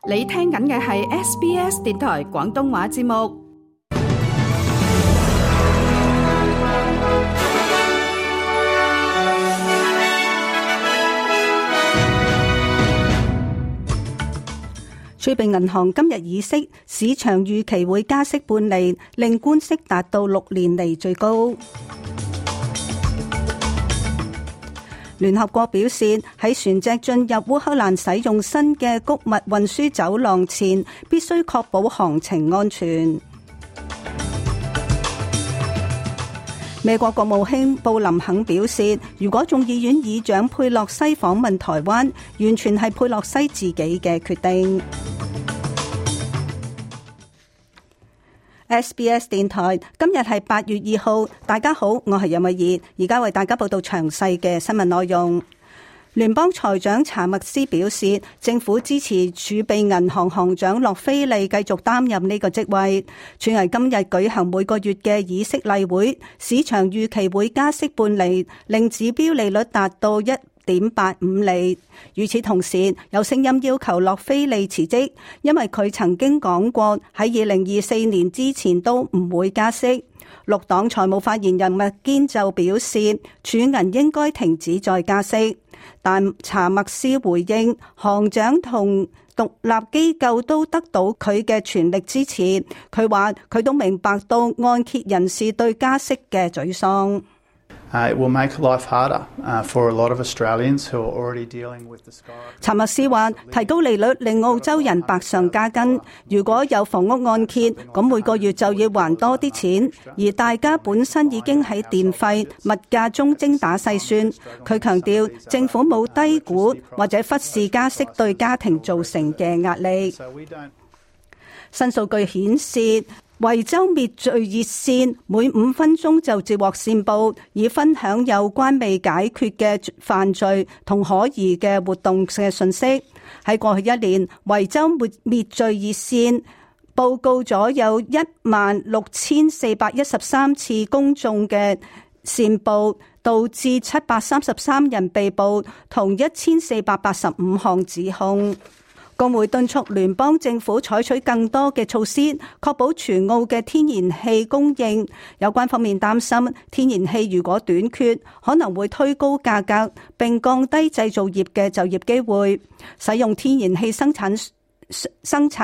你聽緊嘅係 SBS 電台廣東話節目。儲備銀行今日議息，市場預期會加息半釐，令官息達到6年嚟最高。聯合國表示，喺船隻進入烏克蘭使用新嘅穀物運輸走廊前，必須確保航程安全。美國國務卿布林肯表示，如果眾議院議長佩洛西訪問台灣，完全係佩洛西自己嘅決定。SBS 電台今日係8月2號，大家好，我係任慧儀，而家為大家報道詳細嘅新聞內容。聯邦財長查默斯表示，政府支持儲備銀行行長洛菲利繼續擔任呢個職位。全係今日舉行每個月嘅議息例會，市場預期會加息半釐，令指標利率達到1.85厘。與此同時，有聲音要求洛菲利辭職，因為佢曾經講過喺2024年之前都唔會加息。綠黨財務發言人麥堅就表示，儲銀應該停止再加息。但查默斯回應，行長同獨立機構都得到佢嘅全力支持。佢話佢都明白到按揭人士對加息嘅沮喪。It will make life harder for a lot of Australians who are already dealing with the sky. 查默斯話，提高利率令澳洲人百上加斤。如果有房屋按揭，咁每個月就要還多啲錢，而大家本身已經喺電費、物價中精打細算。佢強調，政府冇低估或者忽視加息對家庭造成嘅壓力。新數據顯示，維州滅罪熱線每5分鐘就接獲線報，以分享有關未解決嘅犯罪同可疑嘅活動嘅信息。喺過去1年，維州滅罪熱線報告咗有16,413次公眾嘅線報，導致733人被捕，同1,485項指控。工會敦促聯邦政府採取更多嘅措施，確保全澳嘅天然氣供應。有關方面擔心，天然氣如果短缺，可能會推高價格，並降低製造業嘅就業機會。使用天然氣生產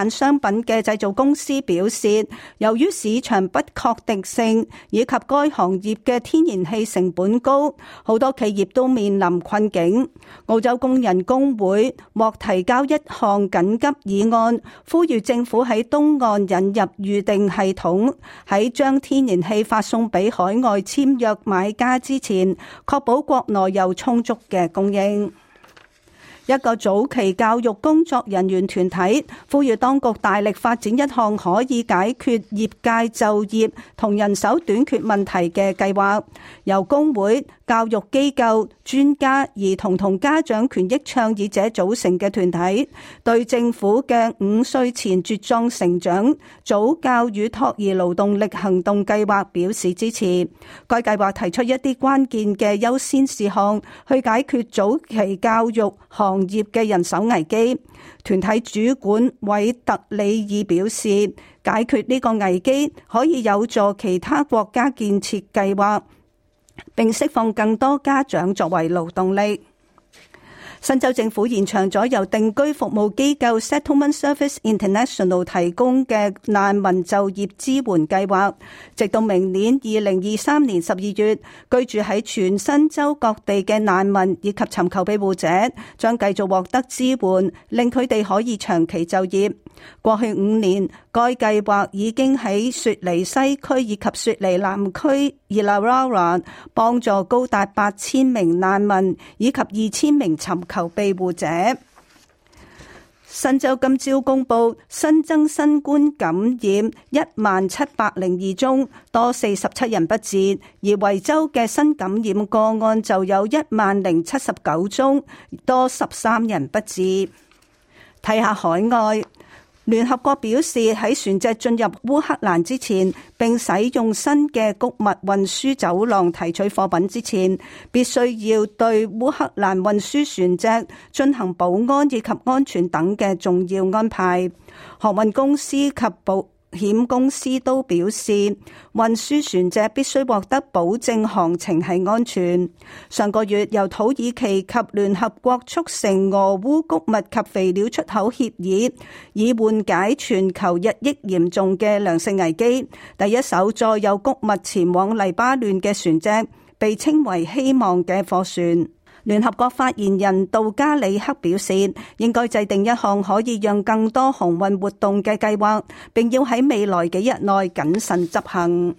商品嘅製造公司表示，由於市場不確定性以及該行業嘅天然氣成本高，好多企業都面臨困境。澳洲工人工會獲提交一項緊急議案，呼籲政府喺東岸引入預訂系統，喺將天然氣發送俾海外簽約買家之前，確保國內有充足嘅供應。一個早期教育工作人員團體呼籲當局大力發展一項可以解決業界就業同人手短缺問題嘅計劃，由工會、教育機構、專家、兒童同家長權益倡議者組成嘅團體，對政府嘅5歲前茁壯成長早教與托兒勞動力行動計劃表示支持。該計劃提出一啲關鍵嘅優先事項，去解決早期教育行業嘅人手危機。團體主管韋特里爾表示，解決呢個危機可以有助其他國家建設計劃，並釋放更多家長作為勞動力。新州政府延長咗由定居服務機構 Settlement Service International 提供嘅難民就業支援計劃，直到明年2023年12月，居住喺全新州各地嘅難民以及尋求庇護者將繼續獲得支援，令佢哋可以長期就業。過去5年，該計劃已經喺雪梨西區以及雪梨南區 Illawarra 幫助高達8000名難民以及2000名尋求庇護者。新州今朝公布新增新冠感染1702宗，多47人不治，而維州嘅新感染個案就有1079宗，多13人不治。睇下海外。聯合國表示，喺船隻進入烏克蘭之前，並使用新嘅穀物運輸走廊提取貨品之前，必須要對烏克蘭運輸船隻進行保安以及安全等嘅重要安排。航運公司及保險公司都表示，運輸船隻必須獲得保證航程係安全。上個月由土耳其及聯合國促成俄烏穀物及肥料出口協議，以緩解全球日益嚴重嘅糧食危機。第一艘載有穀物前往黎巴嫩嘅船隻被稱為希望嘅貨船。聯合國發言人杜加里克表示，應該制定一項可以讓更多航運活動嘅計劃，並要喺未來幾日內謹慎執行。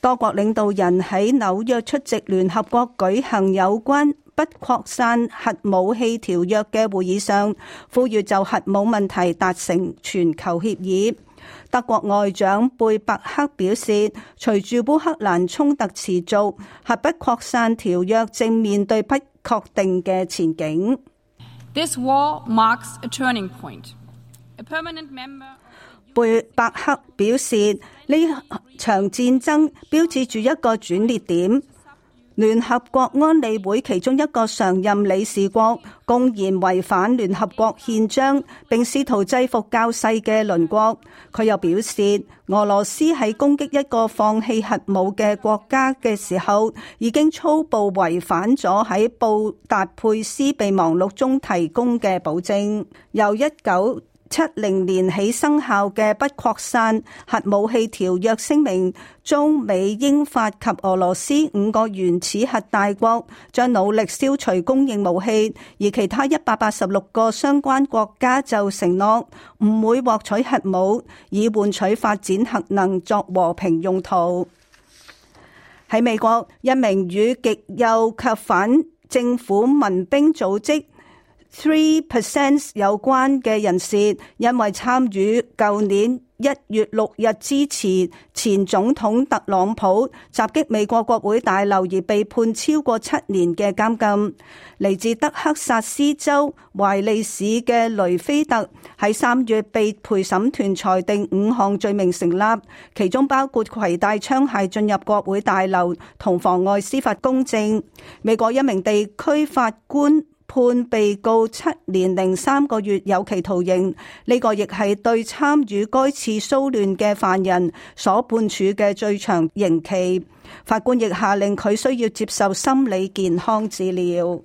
多國領導人喺紐約出席聯合國舉行有關不擴散核武器條約嘅會議上，呼籲就核武問題達成全球協議。德國外長貝伯克表示，隨住烏克蘭衝突持續，核不擴散條約正面對不確定嘅前景。This war marks a turning point. A permanent member. 貝伯克表示，呢場戰爭標誌住一個轉捩點。聯合國安理會其中一個常任理事國公然違反聯合國憲章，並試圖制服較細嘅鄰國。佢又表示，俄羅斯喺攻擊一個放棄核武嘅國家嘅時候，已經粗暴違反咗喺布達佩斯備忘錄中提供嘅保證。由1970年起生效嘅不擴散核武器條約聲明，中美英法及俄羅斯5個原始核大國將努力消除供應武器，而其他186個相關國家就承諾唔會獲取核武，以換取發展核能作和平用途。喺美國，一名與極右及反政府民兵組織3% 有關嘅人士，因為參與舊年1月6日支持前總統特朗普襲擊美國國會大樓而被判超過7年嘅監禁。嚟自德克薩斯州懷利市嘅雷菲特喺3月被陪審團裁定5項罪名成立，其中包括攜帶槍械進入國會大樓同妨礙司法公正。美國一名地區法官判被告7年零3個月有期徒刑，呢個亦係對參與該次騷亂嘅犯人所判處嘅最長刑期。法官亦下令佢需要接受心理健康治療。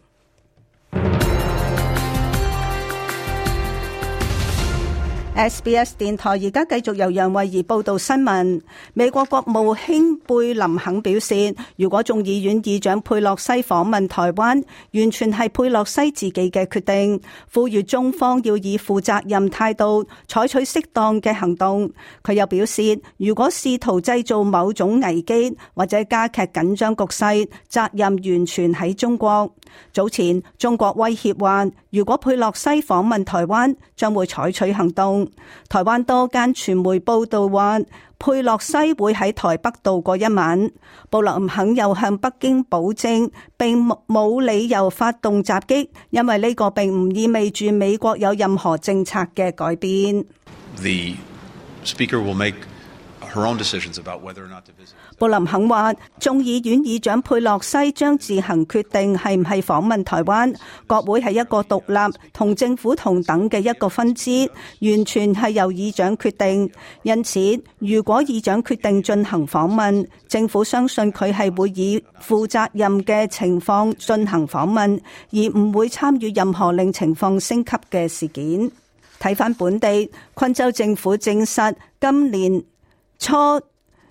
SBS 電台而家繼續由楊慧儀報道新聞。美國國務卿貝林肯表示，如果眾議院議長佩洛西訪問台灣，完全係佩洛西自己嘅決定，呼籲中方要以負責任態度採取適當嘅行動。佢又表示，如果試圖製造某種危機或者加劇緊張局勢，責任完全喺中國。早前中國威脅話，如果佩洛西訪問台灣，將會採取行動。台灣多間傳媒報道話，佩洛西會喺台北度過一晚。布林肯又向北京保證，並冇理由發動襲擊，因為呢個並唔意味住美國有任何政策嘅改變。The speaker will make her own decisions about whether or not to visit. 布林肯話，眾議院議長佩洛西將自行決定係唔係訪問台灣。國會係一個獨立同政府同等嘅一個分支，完全係由議長決定。因此，如果議長決定進行訪問，政府相信佢係會以負責任嘅情況進行訪問，而唔會參與任何令情況升級嘅事件。睇返本地，昆州政府證實今年初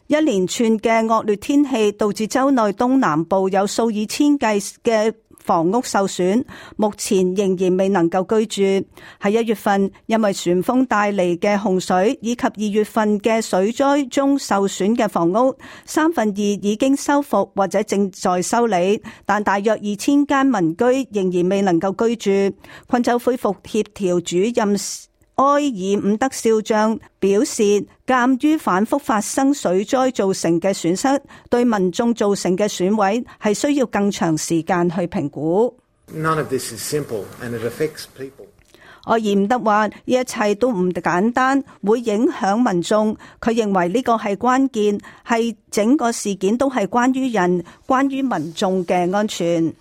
一連串嘅惡劣天氣導致州內東南部有數以千計嘅房屋受損，目前仍然未能夠居住。喺1月份，因為旋風帶嚟嘅洪水以及2月份嘅水災中受損嘅房屋，2/3已經修復或者正在修理，但大約2000間民居仍然未能夠居住。昆州恢復協調主任埃爾伍德少將表示，鑑於反覆發生水災造成嘅損失，對民眾造成嘅損毀係需要更長時間去評估。None of this is simple and it affects people. 柯爾伍德話：呢一切都唔簡單，會影響民眾。佢認為呢個係關鍵，係整個事件都係關於人、關於民眾嘅安全。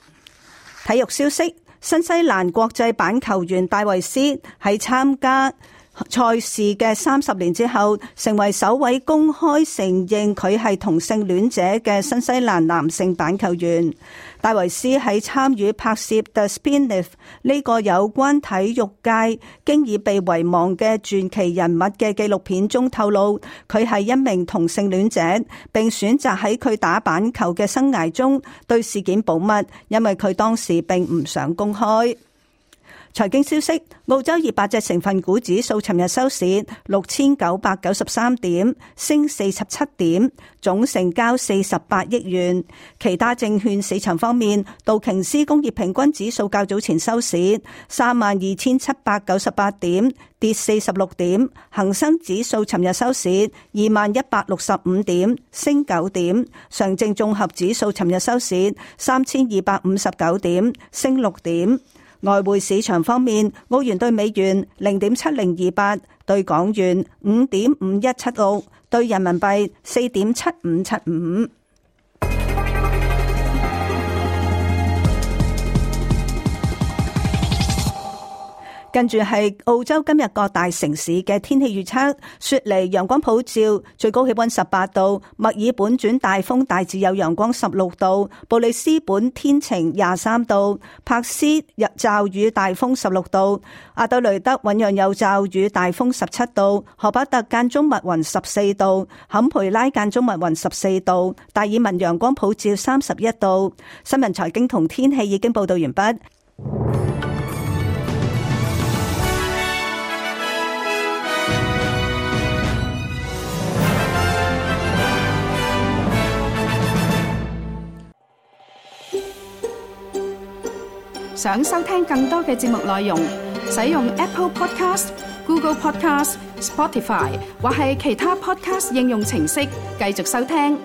體育消息：新西蘭國際舵球員戴維斯喺參加賽事嘅30年之後，成為首位公開承認佢係同性戀者嘅新西蘭男性板球員。戴維斯喺參與拍攝 The Spin-Off 呢個有關體育界經已被遺忘嘅傳奇人物嘅紀錄片中透露，佢係一名同性戀者，並選擇喺佢打板球嘅生涯中對事件保密，因為佢當時並唔想公開。財經消息：澳洲200隻成分股指數尋日收市6993點，升47點，總成交48億元。其他證券市場方面，道瓊斯工業平均指數較早前收市32798點，跌46點；恒生指數尋日收市21165點，升9點；上證綜合指數尋日收市3259點，升6點。外匯市場方面，澳元兌美元0.7028，兌港元5.5176，兌人民幣4.7575。跟住係澳洲今日各大城市嘅天氣預測：雪梨陽光普照，最高氣溫18度；墨爾本轉大風，大致有陽光16度；布里斯本天晴23度；珀斯驟雨大風16度；阿德雷德醞釀有驟雨大風17度；荷巴特間中密雲14度；坎培拉間中密雲14度；達爾文陽光普照31度。新聞財經同天氣已經報道完畢。想收聽更多嘅節目內容，使用 Apple Podcast、Google Podcast、Spotify 或係其他 Podcast 應用程式繼續收聽。